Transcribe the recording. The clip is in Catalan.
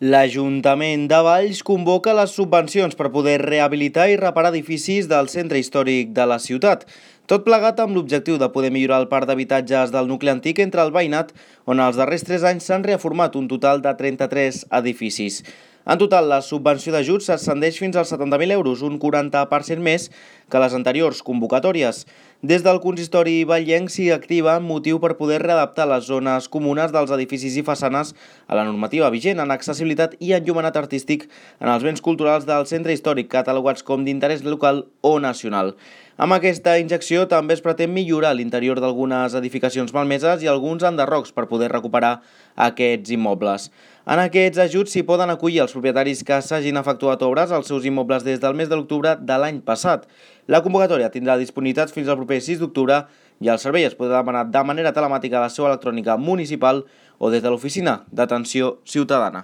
L'Ajuntament de Valls convoca les subvencions per poder rehabilitar i reparar edificis del centre històric de la ciutat. Tot plegat amb l'objectiu de poder millorar el parc d'habitatges del nucli antic entre el veïnat, on els darrers 3 anys s'han reformat un total de 33 edificis. En total, la subvenció d'ajuts s'ascendeix fins als 70.000 euros, un 40% més que les anteriors convocatòries. Des del consistori vallenc s'hi activa motiu per poder readaptar les zones comunes dels edificis i façanes a la normativa vigent en accessibilitat i enllumenat artístic en els béns culturals del centre històric catalogats com d'interès local o nacional. Amb aquesta injecció també es pretén millorar l'interior d'algunes edificacions malmeses i alguns enderrocs per poder recuperar aquests immobles. En aquests ajuts s'hi poden acollir els propietaris que s'hagin efectuat obres als seus immobles des del mes de l'octubre de l'any passat. La convocatòria tindrà disponibilitat fins al proper 6 d'octubre i el servei es podrà demanar de manera telemàtica a la seu electrònica municipal o des de l'oficina d'atenció ciutadana.